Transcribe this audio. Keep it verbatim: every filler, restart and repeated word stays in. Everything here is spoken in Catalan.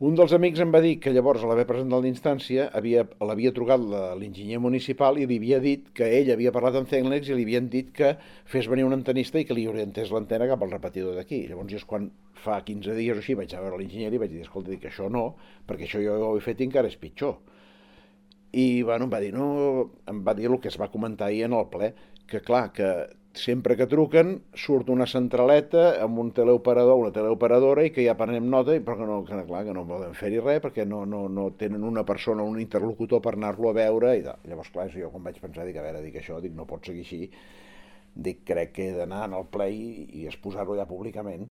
Un dels amics em va dir que llavors, a l'haver presentat la instància, havia, l'havia trucat la- l'enginyer municipal i li havia dit que ell havia parlat amb Cenglex i li havien dit que fes venir un antenista i que li orientés l'antena cap al repetidor d'aquí. Llavors jo és quan fa quinze dies o així vaig a veure l'enginyer i vaig dir, escolta, dic, això no, perquè això jo ho he fet i encara és pitjor. I bueno, em va dir, no, em va dir el que es va comentar ahir en el ple, que clar, que sempre que truquen surt una centraleta amb un teleoperador, una teleoperadora i que ja prenem nota, i però que no, que, clar, que no poden fer-hi res perquè no, no, no tenen una persona, un interlocutor per anar-lo a veure i tal. Llavors, clar, jo quan vaig pensar, dic, a veure, dic això, dic, no pot seguir així, dic, crec que he d'anar al ple i, i exposar-ho ja públicament.